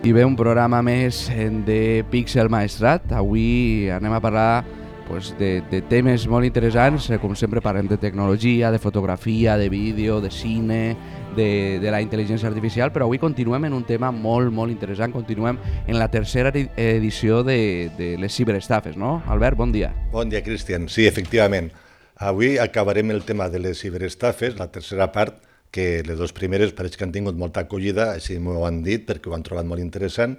I bé, un programa més de Pixel Maestrat. Avui anem a parlar de temes molt interessants. Com sempre parlem de tecnologia, de fotografia, de vídeo, de cine, de la intel·ligència artificial, però avui continuem en un tema molt interessant. Continuem en la tercera edició de les ciberestafes, no? Albert, bon dia. Bon dia, Cristian. Sí, efectivament. Avui acabarem el tema de les ciberestafes, la tercera part, que les dues primeres pareix que han tingut molta acollida, així m'ho han dit, perquè ho han trobat molt interessant,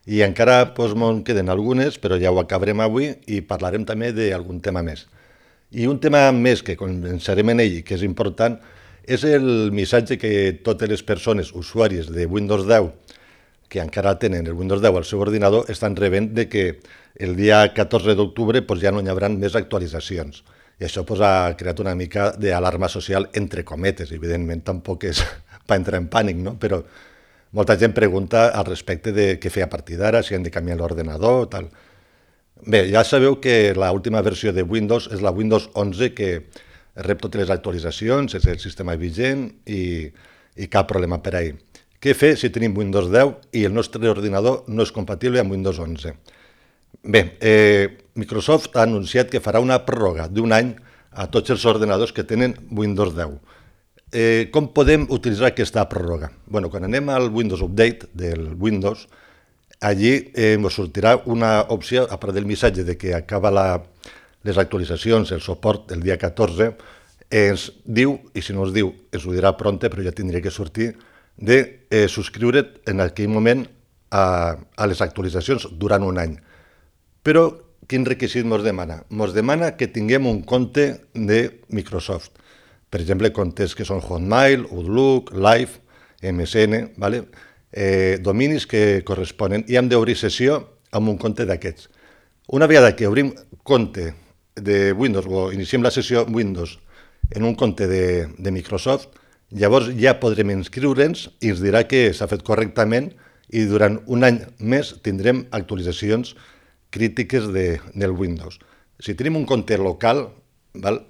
i encara me'n queden algunes, però ja ho acabarem avui i parlarem també d'algun tema més. I un tema més que començarem en ell, que és important, és el missatge que totes les persones usuàries de Windows 10 que encara tenen el Windows 10 al seu ordinador estan rebent de que el dia 14 d'octubre ja no hi haurà més actualitzacions. I això ha creat una mica d'alarma social entre cometes. Evidentment tampoc és per entrar en pànic, no? Però molta gent pregunta al respecte de què fer a partir d'ara, si han de canviar l'ordenador, tal. Bé, ja sabeu que l'última versió de Windows és la Windows 11 que rep totes les actualitzacions, és el sistema vigent i cap problema per ahir. Què fer si tenim Windows 10 i el nostre ordinador no és compatible amb Windows 11? Bé, Microsoft ha anunciat que farà una pròrroga d'un any a tots els ordenadors que tenen Windows 10. Com podem utilitzar aquesta pròrroga? Bueno, quan anem al Windows Update del Windows, allí ens sortirà una opció, a part del missatge de que acaba les actualitzacions, el suport el dia 14, ens diu, i si no us diu, ens ho dirà pronte, però ja tindria que sortir, de subscriure't en aquell moment a les actualitzacions durant un any. Però quin requisit ens demana? Ens demana que tinguem un compte de Microsoft. Per exemple, comptes que són Hotmail, Outlook, Live, MSN, ¿vale? Dominis que corresponen, i hem d'obrir sessió amb un compte d'aquests. Una vegada que obrim compte de Windows o iniciem la sessió Windows en un compte de Microsoft, llavors ja podrem inscriure'ns i ens dirà que s'ha fet correctament i durant un any més tindrem actualitzacions crítiques del Windows. Si tenim un compte local,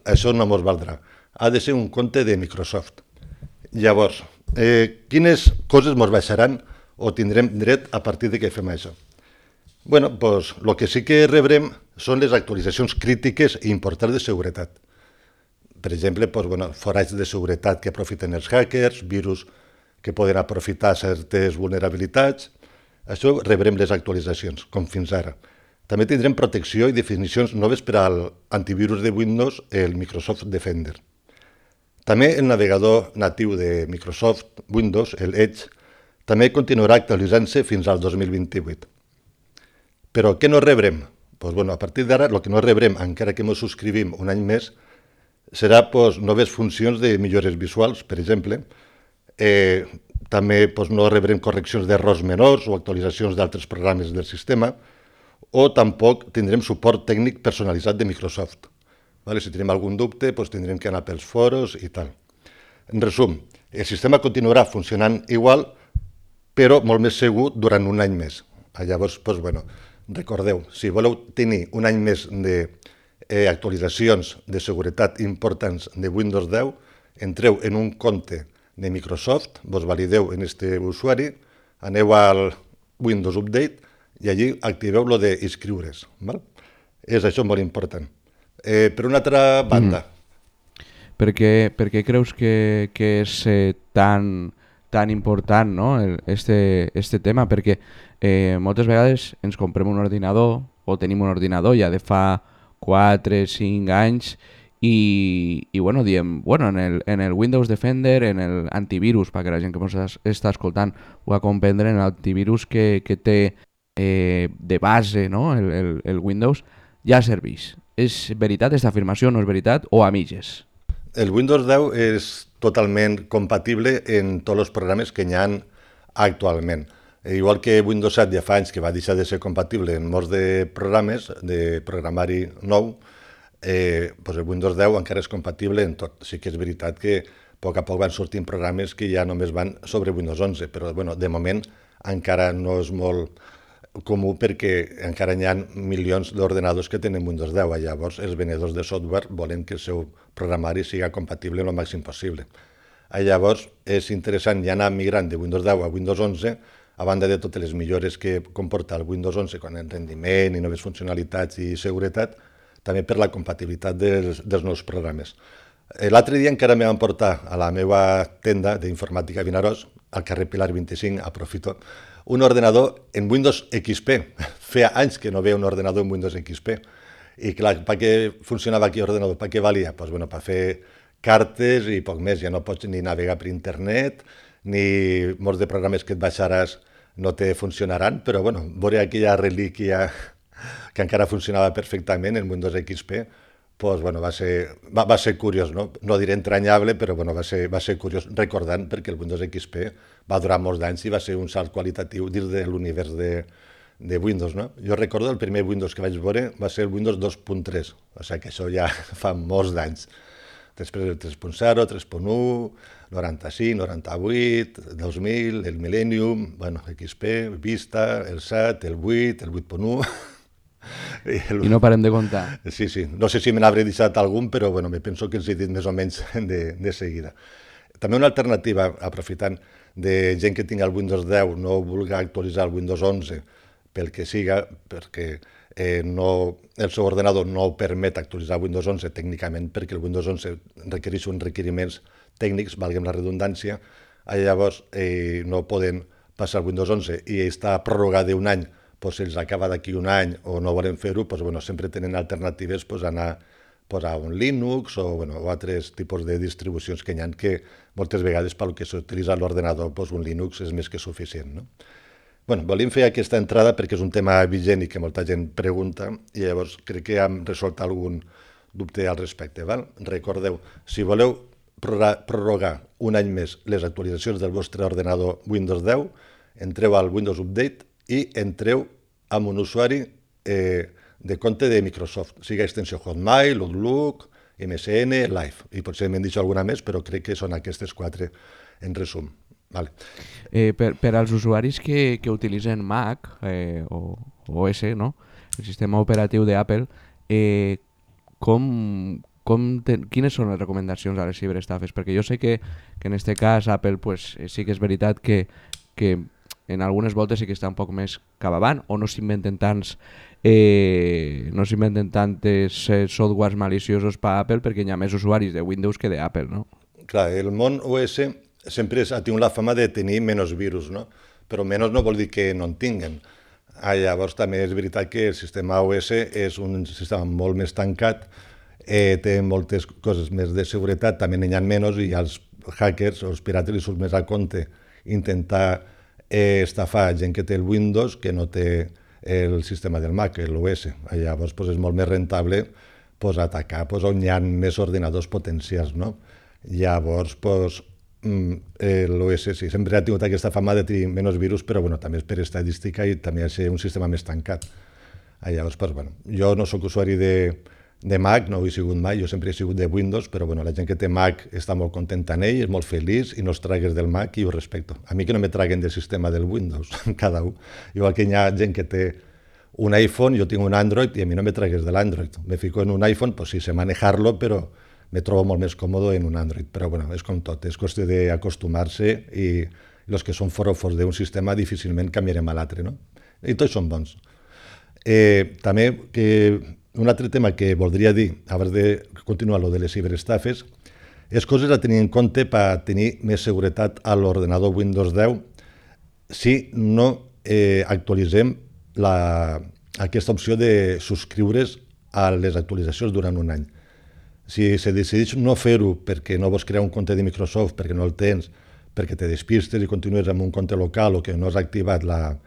això no ens valdrà. Ha de ser un compte de Microsoft. Llavors, quines coses ens baixaran o tindrem dret a partir de que fem això? Bueno, doncs el que sí que rebrem són les actualitzacions crítiques i importants de seguretat. Per exemple, forats de seguretat que aprofiten els hackers, virus que poden aprofitar certes vulnerabilitats. Això rebrem les actualitzacions, com fins ara. També tindrem protecció i definicions noves per a l'antivirus de Windows, el Microsoft Defender. També el navegador natiu de Microsoft Windows, el Edge, també continuarà actualitzant-se fins al 2028. Però què no rebrem? A partir d'ara, el que no rebrem, encara que ens subscrivim un any més, serà noves funcions de millores visuals, per exemple. També no rebrem correccions d'errors menors o actualitzacions d'altres programes del sistema, o tampoc tindrem suport tècnic personalitzat de Microsoft. Si tenim algun dubte, tindrem que anar pels foros i tal. En resum, el sistema continuarà funcionant igual, però molt més segur durant un any més. Llavors, recordeu, si voleu tenir un any més d'actualitzacions de seguretat importants de Windows 10, entreu en un compte de Microsoft, vos valideu en aquest usuari, aneu al Windows Update i allí activeu lo d'inscriure's. És això molt important. Per una altra banda. Per què creus que és tan important, no? este tema? Perquè moltes vegades ens comprem un ordinador o tenim un ordinador ja de fa 4, 5 anys i diem, en el Windows Defender, en el antivirus, perquè la gent que ens està escoltant ho ha comprendre, en l'antivirus que té de base, no? el Windows, ja serveix. És veritat aquesta afirmació, no és veritat, o a mitges? El Windows 10 és totalment compatible en tots els programes que hi ha actualment. Igual que Windows 7 ja fa anys que va deixar de ser compatible en molts de programes de programari nou, el Windows 10 encara és compatible en tot. Sí que és veritat que a poc van sortint programes que ja només van sobre Windows 11, però de moment encara no és molt comú perquè encara hi ha milions d'ordenadors que tenen Windows 10. Llavors, els venedors de software volen que el seu programari siga compatible el màxim possible. Llavors, és interessant ja anar migrant de Windows 10 a Windows 11 a banda de totes les millores que comporta el Windows 11 en rendiment i noves funcionalitats i seguretat, també per la compatibilitat dels nous programes. L'altre dia encara me van portar a la meva tenda d'informàtica a Vinaròs, al carrer Pilar 25, aprofito, un ordenador en Windows XP. Feia anys que no veia un ordenador en Windows XP. I clar, per què funcionava aquell ordenador? Per què valia? Pues, bueno, per fer cartes i poc més. Ja no pots ni navegar per internet, ni molts de programes que et baixaràs no te funcionaran, però bueno, veure aquella relíquia que encara funcionava perfectament en Windows XP, pues, bueno, va ser curiós, no? No diré entranyable, però bueno, va ser curiós, recordant perquè el Windows XP va durar molts anys i va ser un salt qualitatiu dins de l'univers de Windows, no? Jo recordo el primer Windows que vaig veure va ser el Windows 2.3, o sigui que això ja fa molts d'anys. Després el 3.0, 3.1, 95, 98, 2000, el Millennium, bueno, XP, Vista, el 7, el 8, el 8.1... I no parem de comptar. Sí, sí. No sé si me n'hauré deixat algun, però bueno, me penso que els he dit més o menys de seguida. També una alternativa, aprofitant, de gent que tingui el Windows 10 no vulgui actualitzar el Windows 11 pel que siga, perquè el seu ordenador no permet actualitzar Windows 11 tècnicament, perquè el Windows 11 requereix uns requeriments tècnics, valguem la redundància, llavors no poden passar al Windows 11 i està prorrogat d'un any, si els acaba d'aquí un any o no volen fer-ho, sempre tenen alternatives anar a un Linux o altres tipus de distribucions que hi ha, que moltes vegades pel que s'utilitza l'ordenador un Linux és més que suficient. No? Volíem fer aquesta entrada perquè és un tema vigent i que molta gent pregunta i llavors crec que hem resolt algun dubte al respecte. Val? Recordeu, si voleu prorrogar un any més les actualitzacions del vostre ordenador Windows 10, entreu al Windows Update i entreu amb un usuari de compte de Microsoft, sigui extensió Hotmail, Outlook, MSN, Live. I potser m'he dit alguna més, però crec que són aquestes 4 en resum. Vale. Per als usuaris que utilitzen Mac o OS, no? El sistema operatiu d'Apple, quines són les recomanacions a les ciberestafes? Perquè jo sé que en aquest cas Apple sí que és veritat que en algunes voltes sí que està un poc més cap avant o no s'inventen tantes softwares maliciosos per Apple perquè hi ha més usuaris de Windows que d'Apple, no? Clar, el món OS sempre ha tingut la fama de tenir menys virus, no? Però menys no vol dir que no en tinguen. Llavors també és veritat que el sistema OS és un sistema molt més tancat, té moltes coses més de seguretat, també n'hi ha menys i els hackers o els pirates li surt més a compte intentar estafar gent que té el Windows que no té el sistema del Mac, l'OS. Llavors és molt més rentable atacar on hi ha més ordinadors potencials. No? Llavors l'OS sí, sempre ha tingut aquesta fama de tenir menys virus, però també és per estadística i també ha de ser un sistema més tancat. Llavors, jo no sóc usuari de Mac, no ho he sigut mai, jo sempre he sigut de Windows, però la gent que té Mac està molt contenta en ell, és molt feliç i no els tragues del Mac i ho respecto. A mi que no me traguen del sistema del Windows, cada un. Igual que hi ha gent que té un iPhone, jo tinc un Android i a mi no me tragues de l'Android. Me fico en un iPhone, sí sé manejar-lo, però me trobo molt més còmode en un Android. Però és com tot, és qüestió d'acostumar-se i els que són forofos d'un sistema difícilment canviarem a l'altre, no? I tots són bons. També que un altre tema que voldria dir, abans de continuar lo de les ciberestafes, és coses a tenir en compte per tenir més seguretat a l'ordenador Windows 10 si no actualitzem aquesta opció de subscriure's a les actualitzacions durant un any. Si se decideix no fer-ho perquè no vols crear un compte de Microsoft, perquè no el tens, perquè te despistes i continues amb un compte local o que no has activat la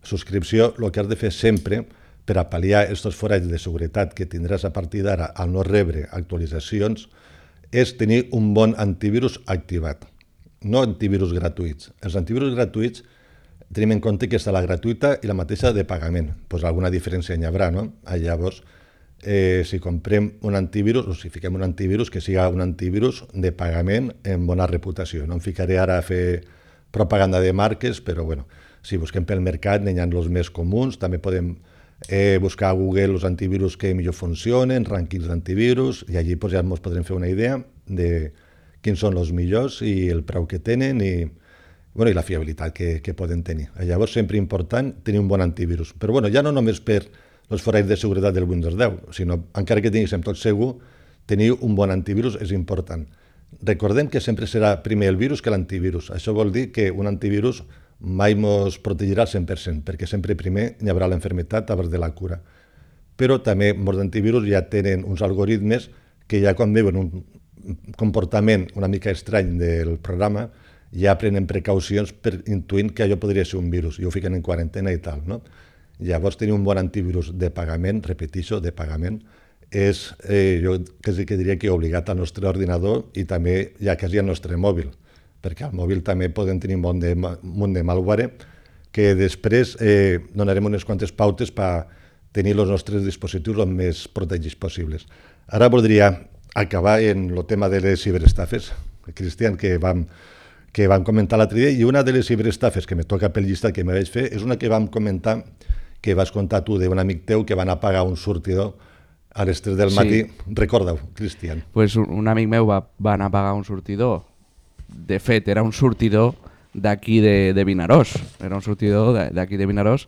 subscripció, el que has de fer sempre per a pal·liar aquests forats de seguretat que tindràs a partir d'ara al no rebre actualitzacions és tenir un bon antivirus activat, no antivirus gratuïts. Els antivirus gratuïts tenim en compte que està la gratuïta i la mateixa de pagament. Alguna diferència hi haurà, no? Llavors, si comprem un antivirus o si fiquem un antivirus, que siga un antivirus de pagament amb bona reputació. No em ficaré ara a fer propaganda de marques, però si busquem pel mercat n'hi ha els més comuns, també podem buscar a Google els antivirus que millor funcionen, rànquings d'antivirus, i allí ja ens podrem fer una idea de quins són els millors i el preu que tenen i bueno, i la fiabilitat que poden tenir. Llavors, sempre important tenir un bon antivirus. Però bueno, ja no només per els forats de seguretat del Windows 10, sinó, encara que tinguéssim tot segur, tenir un bon antivirus és important. Recordem que sempre serà primer el virus que l'antivirus. Això vol dir que un antivirus mai ens protegirà al 100%, perquè sempre primer hi haurà l'enfermetat abans de la cura. Però també molts antivirus ja tenen uns algoritmes que ja quan veuen un comportament una mica estrany del programa ja prenen precaucions per intuint que allò podria ser un virus i ho fiquen en quarantena i tal, no? Llavors tenir un bon antivirus de pagament, repeteixo, de pagament, és, jo quasi que diria que obligat al nostre ordinador i també ja quasi al nostre mòbil, perquè al mòbil també poden tenir un munt de malware que després donarem unes quantes pautes per tenir els nostres dispositius els més protegits possibles. Ara voldria acabar en el tema de les ciberestafes, Cristian, que vam comentar l'altre dia, i una de les ciberestafes que me toca pel llistat que me vaig fer és una que vam comentar, que vas contar tu d'un amic teu que van a pagar un sortidor a les 3 del matí. Recorda-ho, Cristian. Pues un amic meu va anar a pagar un sortidor. De fet, era un sortidor d'aquí de Vinaròs. Era un sortidor d'aquí de Vinaròs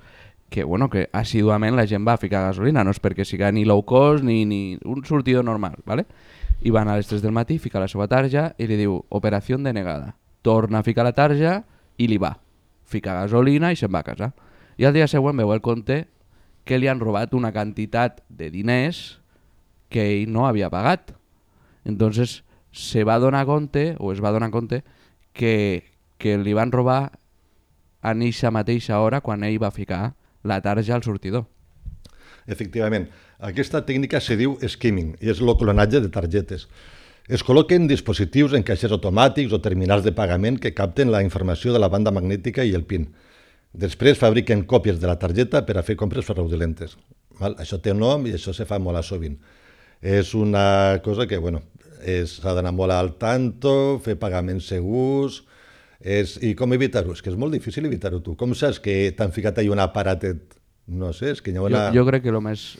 que, bueno, que assiduament la gent va a ficar gasolina. No és perquè siga ni low cost ni un sortidor normal, ¿vale? I van a les 3 del matí, fica la seva tarja i li diu operació denegada. Torna a ficar la tarja i li va. Fica gasolina i se'n va a casa. I al dia següent veu el compte que li han robat una quantitat de diners que ell no havia pagat. Entonces se va donar compte, o es va donar compte, que li van robar a eixa mateixa hora quan ell va ficar la tarja al sortidor. Efectivament, aquesta tècnica se diu skimming i és el clonatge de targetes. Es col·loquen dispositius en caixers automàtics o terminals de pagament que capten la informació de la banda magnètica i el PIN. Després fabriquen còpies de la targeta per a fer compres fraudulentes. Això té un nom i això se fa molt a sovint. És una cosa que, bueno, s'ha d'anar molt al tanto, fer pagaments segurs. I com evitar-ho? És que és molt difícil evitar-ho tu. Com saps que t'han ficat ahí un aparatet? No sé, és que hi ha una... Jo crec que lo més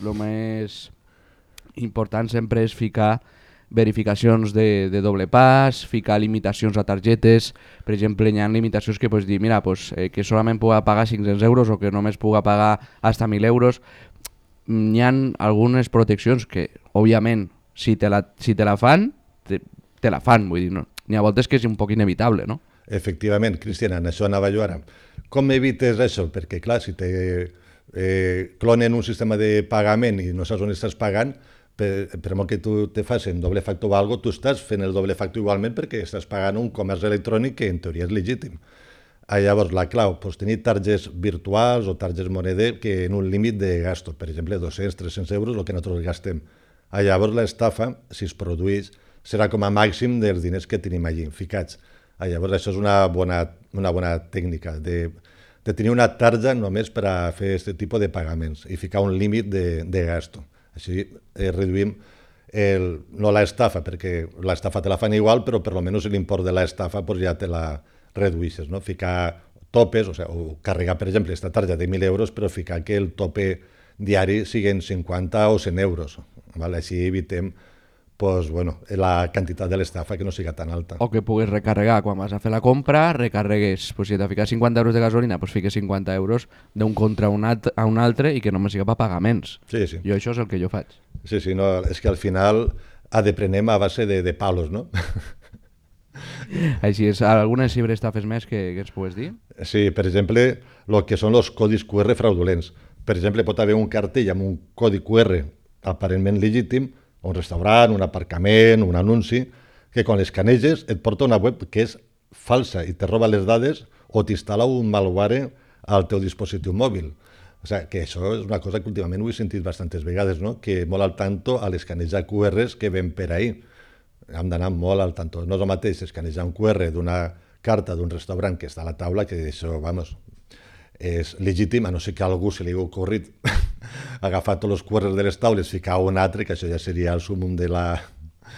important sempre és ficar verificacions de doble pas, ficar limitacions a targetes. Per exemple, hi ha limitacions que pots dir, mira, pues, que solament puga pagar 500 euros o que només puga pagar hasta 1.000 euros. Hi ha algunes proteccions que, òbviament, si te la fan, te la fan. Vull dir, no? N'hi ha voltes que és un poc inevitable, no? Efectivament, Cristian, en això anava jo ara. Com evites això? Perquè, clar, si te clonen un sistema de pagament i no saps on estàs pagant, per molt que tu te facin doble factor o alguna cosa, tu estàs fent el doble factor igualment perquè estàs pagant un comerç electrònic que en teoria és legítim. Llavors, la clau, tenir targes virtuals o targes moneder que en un límit de gasto, per exemple, 200-300 euros, el que nosaltres gastem. Llavors, l'estafa, si es produeix, serà com a màxim dels diners que tenim allí ficats. Llavors, això és una bona tècnica de tenir una tarja només per a fer aquest tipus de pagaments i ficar un límit de gasto. Així reduïm no l'estafa, perquè l'estafa te la fan igual, però per almenys l'import de l'estafa ja te la reduïsses, no? Ficar topes, o carregar, per exemple, aquesta tarja de 1.000 euros, però ficar que el tope diari siguin 50 o 100 euros. Així evitem la quantitat de l'estafa que no siga tan alta. O que puguis recarregar quan vas a fer la compra, recarregues, si t'ha ficat 50 euros de gasolina, fiques 50 euros d'un compte a un altre i que només siga per pagaments. Sí. Jo això és el que jo faig. Sí, no, és que al final aprenem a base de palos, no? Així és. Algunes ciberestafes més que ens pugues dir? Sí, per exemple, el que són els codis QR fraudulents. Per exemple, pot haver un cartell amb un codi QR aparentment legítim, un restaurant, un aparcament, un anunci, que quan l'escaneges et porta una web que és falsa i te roba les dades o t'instal·la un malware al teu dispositiu mòbil. O sigui, que això és una cosa que últimament ho he sentit bastantes vegades, no? Que molt al tanto a l'escanejar QRs que ven per ahir. Hem d'anar molt al tanto. No és el mateix escanejar un QR d'una carta d'un restaurant que està a la taula, que això, és legítim, a no ser que a algú se li ha ocorrit agafar tots els QRs de les taules, ficar un altre, que això ja seria el súmum de la...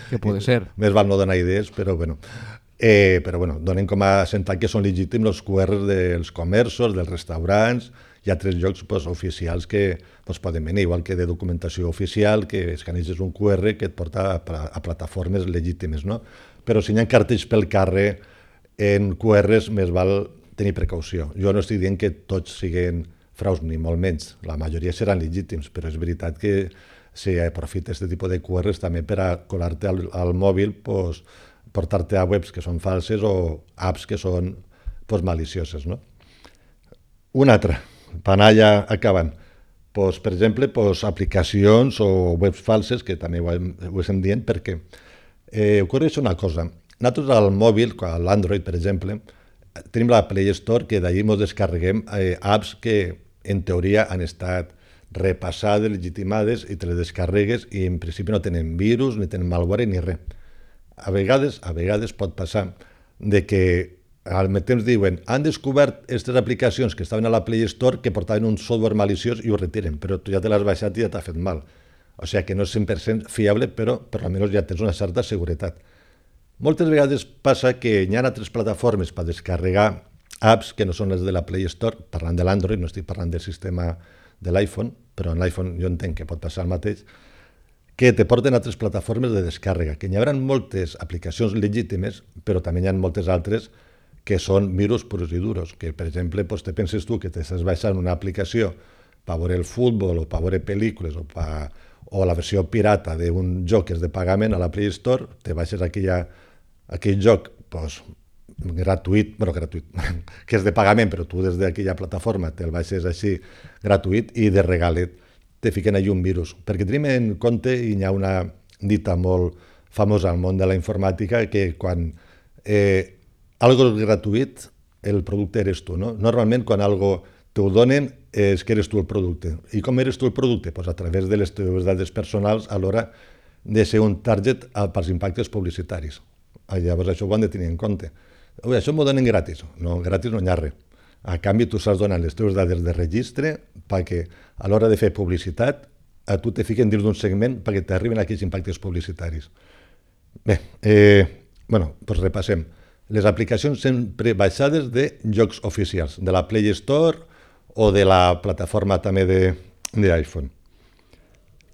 Que pot ser. Més val no donar idees, però bueno. Donem com a assentat que són legítims els QRs dels comerços, dels restaurants i altres llocs oficials que poden venir, igual que de documentació oficial, que escaneges un QR que et porta a plataformes legítimes, no? Però si hi ha cartells pel carrer en QRs, més val tenir precaució. Jo no estic dient que tots siguin fraus, ni molt menys. La majoria seran legítims, però és veritat que si aprofita aquest tipus de QRs també per a colar-te al mòbil, pues, portar-te a webs que són falses o apps que són pues, malicioses. No? Una altra, per anar ja acabant. Pues, per exemple, pues, aplicacions o webs falses, que també ho estem dient, perquè ocorre una cosa. Nosaltres al mòbil, a l'Android, per exemple, tenim la Play Store, que d'allí ens descarreguem apps que en teoria han estat repassades, legitimades, i te les descarregues i en principi no tenen virus, ni tenen malware, ni res. A vegades pot passar de que al temps diuen han descobert aquestes aplicacions que estaven a la Play Store que portaven un software maliciós i ho retiren, però tu ja te l'has baixat i ja t'ha fet mal. O sigui que no és 100% fiable, però per almenys ja tens una certa seguretat. Moltes vegades passa que hi ha altres plataformes per descarregar apps que no són les de la Play Store, parlant de l'Android, no estic parlant del sistema de l'iPhone, però en l'iPhone jo entenc que pot passar el mateix, que te porten altres plataformes de descàrrega, que hi haurà moltes aplicacions legítimes, però també hi ha moltes altres que són virus purs i duros, que per exemple pues, te penses tu que t'estàs baixant una aplicació per veure el futbol o per veure pel·lícules o la versió pirata d'un joc que és de pagament a la Play Store, te baixes aquell joc pues, gratuït, que és de pagament, però tu des d'aquella plataforma te'l baixes així gratuït i de regalet te fiquen allà un virus. Perquè tenim en compte, i hi ha una dita molt famosa al món de la informàtica, que quan algo és gratuït, el producte eres tu. No? Normalment, quan algo t'ho donen, és que eres tu el producte. I com eres tu el producte? Pues a través de les teves dades personals a l'hora de ser un target pels impactes publicitaris. Llavors això ho han de tenir en compte. Això m'ho donen gratis. No, gratis no hi ha res. A canvi, tu saps donar les teves dades de registre perquè a l'hora de fer publicitat a tu te fiquen dins d'un segment perquè t'arriben aquests impactes publicitaris. Bé, doncs repassem. Les aplicacions sempre baixades de jocs oficials, de la Play Store o de la plataforma també d'iPhone.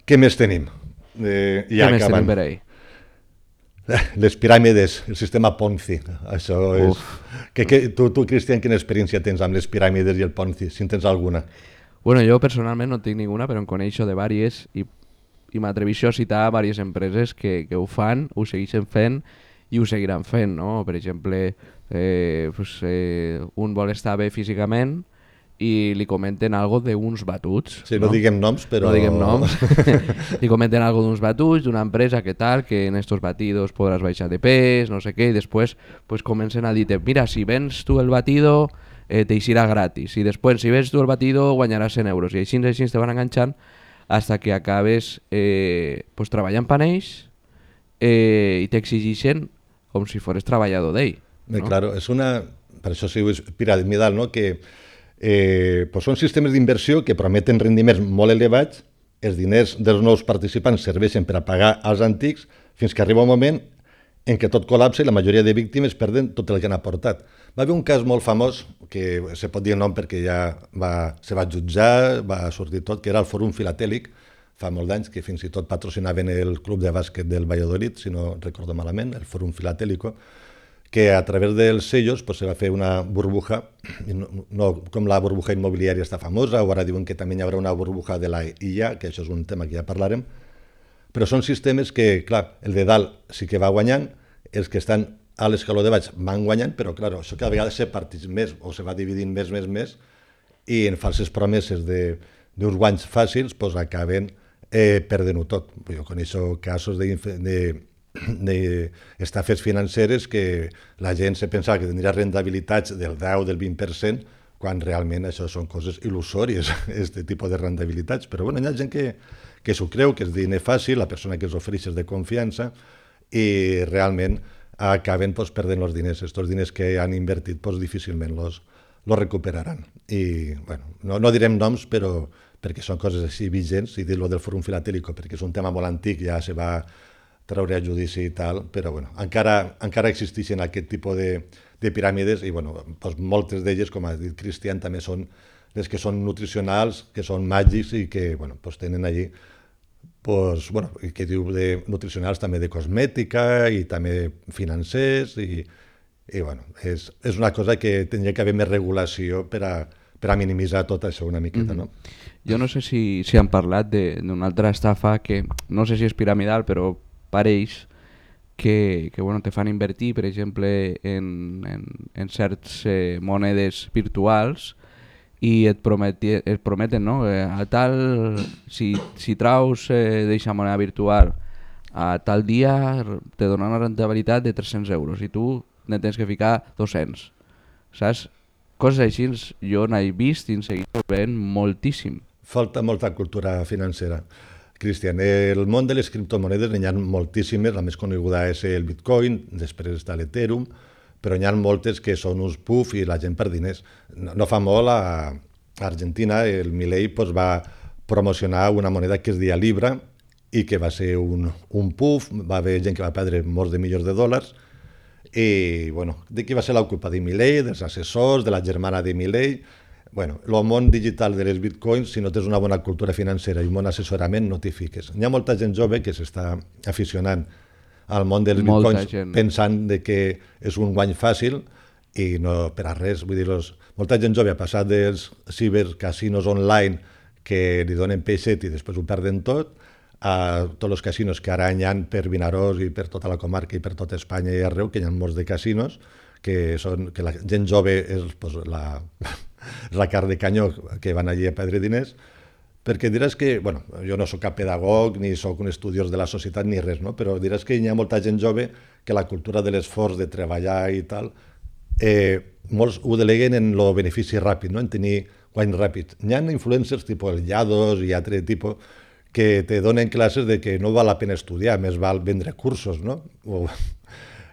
Què més tenim? Què més tenim per ahí? Les piràmides, el sistema Ponzi. Això és... Tu, Cristian, quina experiència tens amb les piràmides i el Ponzi, si en tens alguna? Bueno, jo personalment no tinc ninguna, però en coneixo de vàries i m'atreveixo a citar diverses empreses que ho fan, ho segueixen fent i ho seguiran fent, no? Per exemple, un vol estar bé físicament i li comenten algo d'uns batuts. Sí, no diguem noms, però... No diguem noms. Li comenten algo d'uns batuts, d'una empresa que tal, que en estos batidos podràs baixar de pes, no sé què, i després pues, comencen a dir mira, si vens tu el batido te eixirà gratis, i després si vens tu el batido guanyaràs 100 euros, i així te van enganxant hasta que acabes pues, treballant per ells i t'exigeixen com si fores treballador d'ell. No? Claro, és una... Per això sí, és piramidal, no? Que pues són sistemes d'inversió que prometen rendiments molt elevats, els diners dels nous participants serveixen per a pagar als antics fins que arriba un moment en què tot col·lapsa i la majoria de víctimes perden tot el que han aportat. Va haver un cas molt famós, que se pot dir el nom perquè ja se va jutjar, va sortir tot, que era el Fòrum Filatèlic, fa molts anys, que fins i tot patrocinaven el club de bàsquet del Valladolid, si no recordo malament, el Fòrum Filatèlico, que a través dels sellos pues, se va fer una burbuja, no com la burbuja immobiliària està famosa, o ara diuen que també hi haurà una burbuja de la IA, que això és un tema que ja parlarem, però són sistemes que, clar, el de dalt sí que va guanyant, els que estan a l'escaló de baix van guanyant, però clar, això cada vegada se parteix més, o se va dividint més, i en falses promeses d'uns guanys fàcils pues, acaben perdent-ho tot. Jo coneixo casos d'estafes financeres que la gent se pensava que tindria rentabilitats del 10 o del 20%, quan realment això són coses il·lusòries, aquest tipus de rentabilitats. Però bueno, hi ha gent que s'ho creu, que és diner fàcil, la persona que els ofereix és de confiança, i realment acaben pues, perdent els diners. Estos diners que han invertit pues, difícilment los recuperaran. I bueno, no direm noms, però perquè són coses així vigents, i dir-lo del Fòrum Filatèlico, perquè és un tema molt antic, ja se va treure a judici i tal, però bueno, encara existeixen aquest tipus de piràmides i bueno, doncs moltes d'elles, com ha dit Cristian, també són les que són nutricionals, que són màgics i que bueno, doncs tenen allí, doncs, bueno, que diu de nutricionals també de cosmètica i també financers i I bueno, és una cosa que tindria que haver més regulació per a minimitzar tot això una miqueta, no? Jo no sé si han parlat d'una altra estafa que no sé si és piramidal, però pareix que bueno, te fan invertir, per exemple, en certs monedes virtuals i et prometen, no? A tal, si traus d'eixa moneda virtual a tal dia te donen una rentabilitat de 300 euros i tu ne tens que ficar 200, saps? Coses així jo n'he vist i en seguida veient moltíssim. Falta molta cultura financera. Cristian, el món de les criptomonedes n'hi ha moltíssimes, la més coneguda és el Bitcoin, després està l'Ethereum, però n'hi ha moltes que són uns puff i la gent per diners. No fa molt a Argentina el Milei va promocionar una moneda que es deia Libra i que va ser un puff, va haver gent que va perdre molts de milions de dòlars i, bueno, de qui va ser la culpa? De Milei, dels assessors, de la germana de Milei. Bueno, el món digital de les bitcoins, si no tens una bona cultura financera i un bon assessorament, no t'hi fiques. Hi ha molta gent jove que s'està aficionant al món dels bitcoins pensant de que és un guany fàcil i no per a res. Vull dir, molta gent jove ha passat dels cibercasinos online que li donen peixet i després ho perden tot, a tots els casinos que ara hi ha per Vinaròs i per tota la comarca i per tota Espanya i arreu, que hi ha molts de casinos, que la gent jove és la carn de canyó que van allí a perdre diners, perquè diràs que, bueno, jo no sóc cap pedagog ni sóc un estudiós de la societat ni res, no? Però diràs que hi ha molta gent jove que la cultura de l'esforç, de treballar i tal, molts ho deleguen en el benefici ràpid, no? En tenir guany ràpid. Hi ha influencers tipus el Yados i altre tipus que te donen classes de que no val la pena estudiar, més val vendre cursos, no?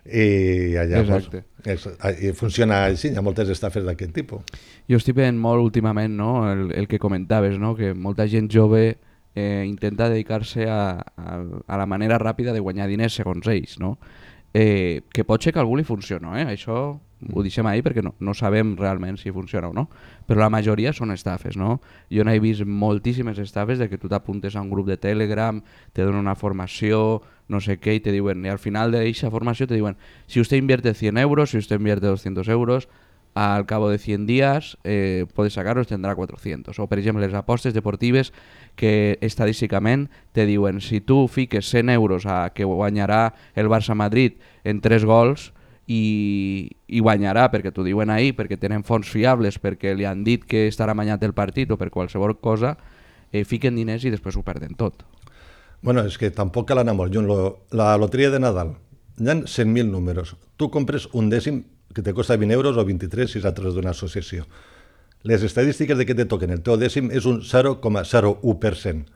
I allà i funciona així, hi ha moltes estafes d'aquest tipus. Jo estic veient molt últimament, no? el que comentaves, no? Que molta gent jove intenta dedicar-se a la manera ràpida de guanyar diners segons ells, no? Que pot ser que a algú li funciona, això ho deixem ahir perquè no sabem realment si funciona o no, però la majoria són estafes, no? Jo n'he vist moltíssimes estafes de que tu t'apuntes a un grup de Telegram, te donen una formació, no sé què, i te diuen, i al final d'aquesta formació te diuen, si usted invierte 100 euros, si usted invierte 200 euros, al cabo de 100 días puede sacarlos, tendrá 400. O per exemple les apostes deportives que estadísticament te diuen, si tu fiques 100 euros a que guanyarà el Barça-Madrid en 3 gols, i guanyarà perquè t'ho diuen ahir, perquè tenen fons fiables, perquè li han dit que estarà amanyat el partit o per qualsevol cosa, fiquen diners i després ho perden tot. Bueno, és que tampoc cal anar molt lluny. La loteria de Nadal, hi ha 100.000 números. Tu compres un dècim que te costa 20 euros o 23 si és a través d'una associació. Les estadístiques de que te toquen el teu dècim és un 0,01%.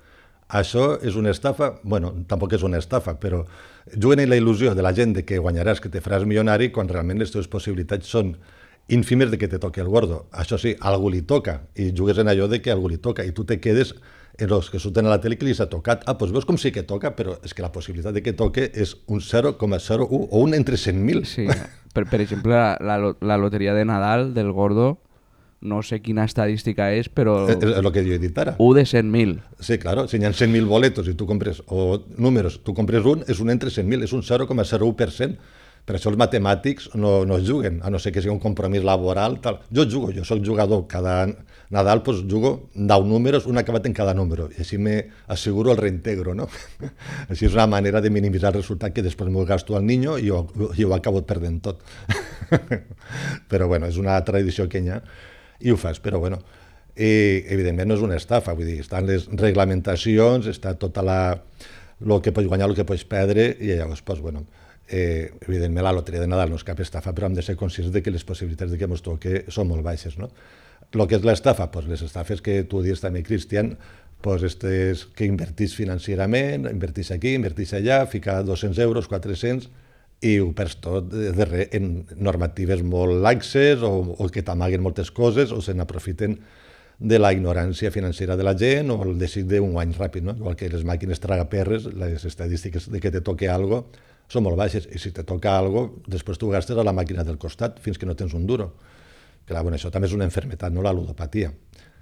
Això és una estafa? Bueno, tampoc és una estafa, però juguen en la il·lusió de la gent de que guanyaràs, que te faràs milionari, quan realment les teves possibilitats són ínfimes de que te toqui el gordo. Això sí, a algú li toca, i jugues en allò de que a algú li toca, i tu te quedes en els que surten a la tele que li s'ha tocat. Doncs veus com sí que toca, però és que la possibilitat de que toque és un 0,01 o un entre 100.000. Sí, per exemple, la loteria de Nadal del gordo, no sé quina estadística és, però... És el que jo he dit ara. 1 de 100.000. Sí, claro, si hi ha 100.000 boletos i tu compres, o números, tu compres un, és un entre 100.000, és un 0,01%. Per això els matemàtics no juguen, a no ser que sigui un compromís laboral. Tal. Jo jugo, jo soc jugador. Cada Nadal jugo 10 números, un acabat en cada número, i així m'asseguro el reintegro, no? Així és una manera de minimitzar el resultat que després m'ho gasto al niño i ho acabo perdent tot. Però bueno, és una tradició que hi ha i ho fas, però bueno, evidentment no és una estafa, vull dir, estan les reglamentacions, està tota el que pots guanyar, el que pots perdre, i llavors, bueno, evidentment la loteria de Nadal no és cap estafa, però hem de ser conscients de que les possibilitats de que ens toqui són molt baixes, no? El que és l'estafa, les estafes que tu dius també, Cristian, és que invertís financerament, invertís aquí, invertís allà, ficar 200 euros, 400, i ho perds tot en normatives molt laxes o que t'amaguen moltes coses o se n'aprofiten de la ignorància financera de la gent o el desig d'un guany ràpid, no? Igual que les màquines tragaperres, les estadístiques de que te toque algo són molt baixes, i si te toca algo, després tu gastes a la màquina del costat fins que no tens un duro. Clar, bueno, això també és una enfermetat, no? La ludopatia.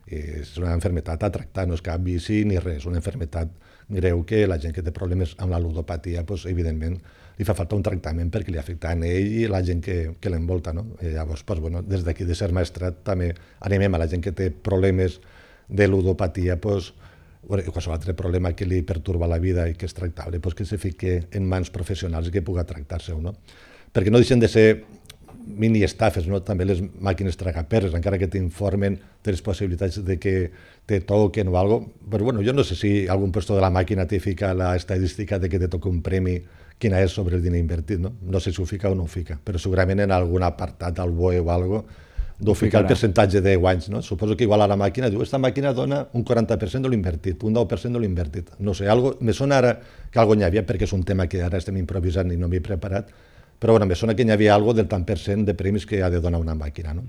És una malaltia a tractar, no és cap vici ni res, és una malaltia greu que la gent que té problemes amb la ludopatia, doncs, evidentment, li fa falta un tractament perquè li afecta a ell i la gent que l'envolta. No? I llavors, doncs, bueno, des d'aquí de Ser Maestrat també animem a la gent que té problemes de ludopatia, doncs, i qualsevol altre problema que li perturba la vida i que és tractable, doncs que se fique en mans professionals i que puga tractar-se. No? Perquè no deixen de ser mini estafes, no? També les màquines tragaperres, encara que t'informen de les possibilitats de que te toquen o alguna cosa. Però bueno, jo no sé si algun puesto de la màquina te fica la estadística de que te toca un premi, quina és sobre el diner invertit, no? No sé si ho fica o no ho fica, però segurament en algun apartat, al BOE o alguna cosa, d'ho ficar el percentatge de guanys, no? Suposo que igual a la màquina diu, esta màquina dona un 40% de l'invertit, un 10% de l'invertit. No sé, me sona ara que algo n'hi havia, perquè és un tema que ara estem improvisant i no m'he preparat, però bueno, me sona que n'hi havia algo del tant per cent de premis que ha de donar una màquina, no?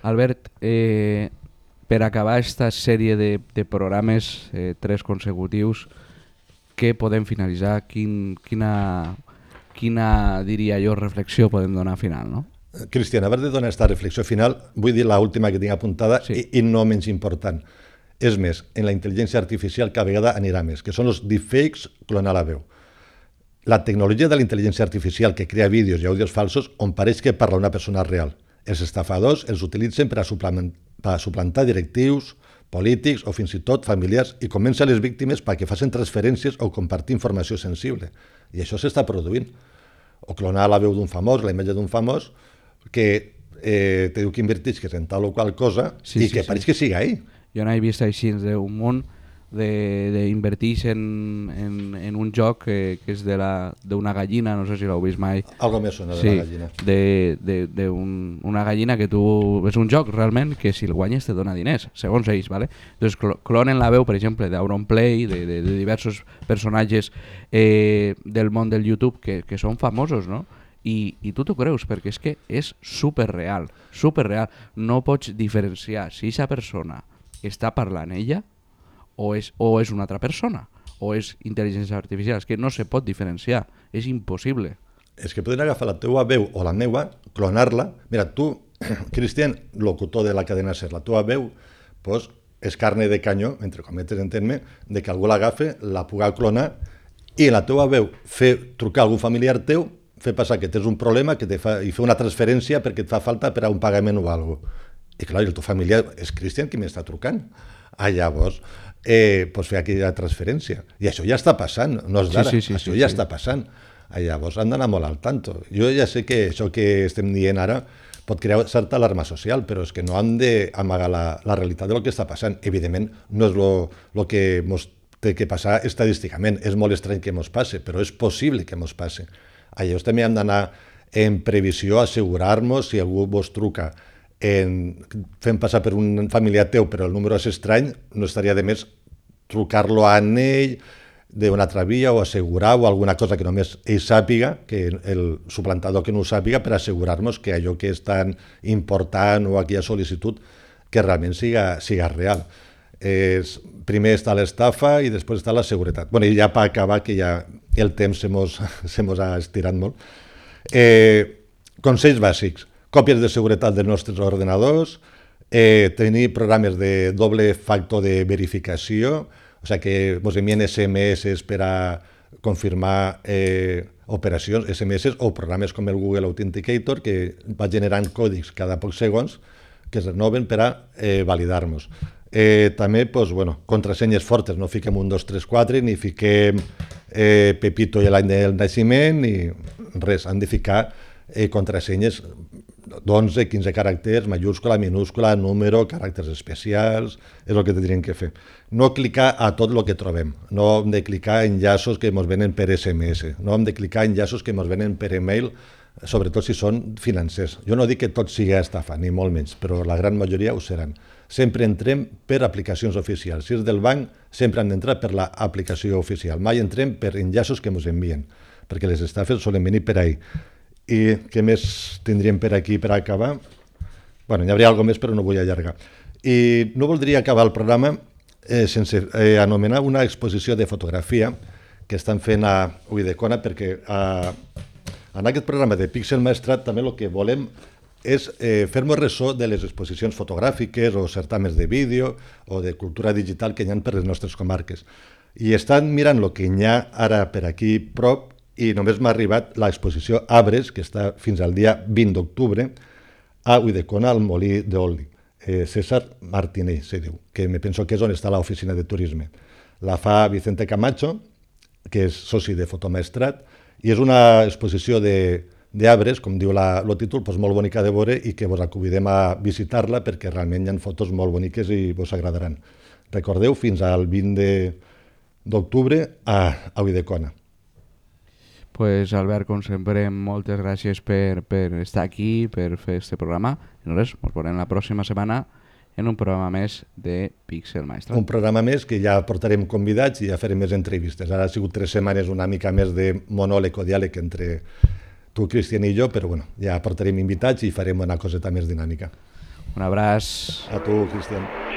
Albert, per acabar aquesta sèrie de programes, 3 consecutius, què podem finalitzar? Quina, diria jo, reflexió podem donar final, no? Cristian, abans de donar aquesta reflexió final, vull dir l'última que tinc apuntada, sí. i no menys important. És més, en la intel·ligència artificial cada vegada anirà més, que són els deepfakes, clonar la veu. La tecnologia de la intel·ligència artificial que crea vídeos i àudios falsos on pareix que parla una persona real. Els estafadors els utilitzen per a suplantar directius, polítics o fins i tot familiars i convèncer les víctimes perquè facin transferències o compartir informació sensible. I això s'està produint. O clonar la veu d'un famós, la imatge d'un famós, que te diu que invertisques en tal o qual cosa i que pareix que siga ell. Jo n'he vist així d'un munt d'invertir en un joc que és d'una gallina, no sé si l'heu vist mai. Algo més sona de la gallina. D'una gallina que tu... És un joc realment que si el guanyes te dona diners, segons ells, ¿vale? Entonces clonen la veu, per exemple, d'Auronplay, de diversos personatges del món del YouTube que són famosos, no? I tu t'ho creus, perquè és que és superreal. No pots diferenciar si aquesta persona està parlant ella o és una altra persona, o és intel·ligència artificial. És que no se pot diferenciar, és impossible. És que poden agafar la teua veu o la meua, clonar-la. Mira, tu, Cristian, locutor de la cadena SER, la teua veu, pues, és carne de canyó, entre cometes, entén-me, de que algú l'agafe, la puga clonar, i la teua veu fer trucar a algun familiar teu, fer passar que tens un problema i fer una transferència perquè et fa falta per a un pagament o alguna cosa. I clar, el teu familiar és Cristian qui m'està trucant. Llavors, pots fer aquella transferència. I això ja està passant, no és d'ara, això ja està passant. Llavors han d'anar molt al tanto. Jo ja sé que això que estem dient ara pot crear certa alarma social, però és que no hem d'amagar la realitat del que està passant. Evidentment, no és el que ens té que passar estadísticament. És molt estrany que ens passi, però és possible que ens passi. Llavors també hem d'anar en previsió, assegurar-nos si algú vos truca fent passar per un familiar teu però el número és estrany, no estaria de més trucar-lo a ell d'una altra via o assegurar o alguna cosa que només ell sàpiga, que el suplantador que no ho sàpiga, per assegurar-nos que allò que és tan important o aquella sol·licitud que realment siga real. Primer està l'estafa i després està la seguretat. I ja per acabar, que ja el temps se mos ha estirat molt. Consells bàsics. Còpies de seguretat dels nostres ordenadors, tenir programes de doble factor de verificació, o sigui que ens envien SMS per a confirmar operacions, SMS o programes com el Google Authenticator, que va generant còdics cada pocs segons que es renoven per a validar-nos. També, contrasenyes fortes, no fiquem 1, 2, 3, 4, ni fiquem Pepito i l'any del naixement, ni res, han de ficar contrasenyes d'11, 15 caràcters, majúscula, minúscula, número, caràcters especials, és el que tindríem que fer. No clicar a tot el que trobem, no hem de clicar en enllaços que ens venen per SMS, no hem de clicar en enllaços que ens venen per email, sobretot si són financers. Jo no dic que tot sigui estafa, ni molt menys, però la gran majoria ho seran. Sempre entrem per aplicacions oficials. Si és del banc, sempre hem d'entrar per l'aplicació oficial. Mai entrem per enllaços que ens envien, perquè les estafes solen venir per ahí. I què més tindríem per aquí per acabar? Hi hauria alguna més, però no vull allargar. I no voldria acabar el programa sense anomenar una exposició de fotografia que estan fent a Ulldecona, perquè en aquest programa de Pixel Maestrat també el que volem és fer-nos ressò de les exposicions fotogràfiques o certàmens de vídeo o de cultura digital que hi ha per les nostres comarques. I estan mirant el que hi ha ara per aquí prop i només m'ha arribat l'exposició Arbres, que està fins al dia 20 d'octubre, a Ulldecona, al Molí d'Oli. César Martínez, se diu, que me penso que és on està l'oficina de turisme. La fa Vicente Camacho, que és soci de Fotomaestrat, i és una exposició d'arbres, com diu el títol, doncs molt bonica de veure i que vos convidem a visitar-la perquè realment hi ha fotos molt boniques i vos agradaran. Recordeu, fins al 20 d'octubre a Ulldecona. Pues Albert, com sempre, moltes gràcies per estar aquí, per fer este programa. I res, ens veurem la pròxima setmana en un programa més de Pixel Maestrat. Un programa més que ja portarem convidats i ja farem més entrevistes. Ara ha sigut 3 setmanes una mica més de monòleg o diàleg entre tu, Cristian, i jo, però bueno, ja portarem invitats i farem una coseta més dinàmica. Un abraç. A tu, Cristian.